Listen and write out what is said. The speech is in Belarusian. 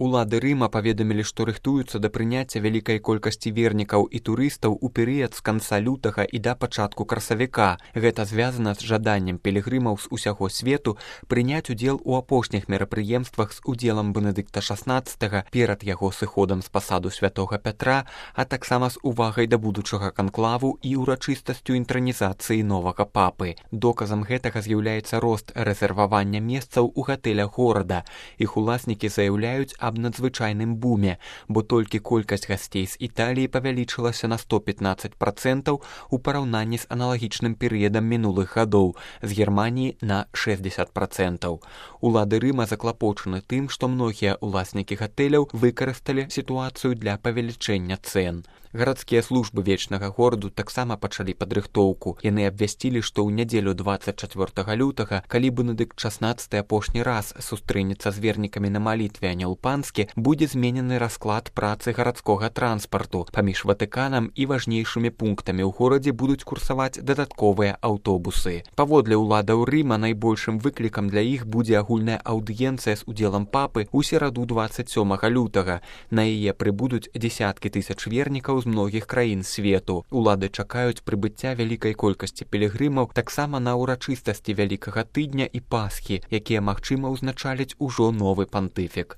Улады Рыма паведамілі, што рыхтуюцца да прыняцця вялікай колькасці вернікаў і турыстаў у перыяд з канца лютага і да пачатку красавіка. Гэта звязана з жаданнем пілігрымаў з усяго свету прыняць удзел у апошніх мерапрыемствах з удзелам Бенедыкта XVI перад яго сыходам з пасаду святога Пятра, а таксама з увагай да будучага канклаву і урачыстасцю інтранізацыі новага папы. Доказам гэтага з'яўляецца рост рэзервавання месцаў у гатэлях горада. Іх уласнікі заяўляюць аб надзвычайным буме, бо толькі колькасць гасцей з Італіі павялічылася на 115% у параўнанні з аналагічным перыядам мінулых гадоў, з Германіі на 60%. Улады Рыма заклапочаны тым, што многія уласнікі гатэляў выкарысталі сітуацыю для павелічэння цэн. Гарадскія службы вечнага гораду таксама пачалі падрыхтоўку. Яны абвясцілі, што ў нядзелю 24 лютага, калі Бенедыкт XVI апошні раз сустрэнецца з вернікамі на малітве Анёл Панскі, будзе зменены расклад працы гарадскога транспарту. Паміж Ватыканам і важнейшымі пунктамі ў горадзе будуць курсаваць дадатковыя аўтобусы. Паводле ўладаў Рыма найбольшым выклікам для іх будзе агульная аўдыенцыя з удзелам папы ў сераду 27 лютага. На яе прыбудуць дзесяткі тысяч вернікаў з многіх краін свету. Улады чакаюць прыбыцця вялікай колькасці пілігрымаў таксама на ўрачыстасці Вялікага тыдня і Пасхі, якія, магчыма, узначаліць ужо новы пантыфік.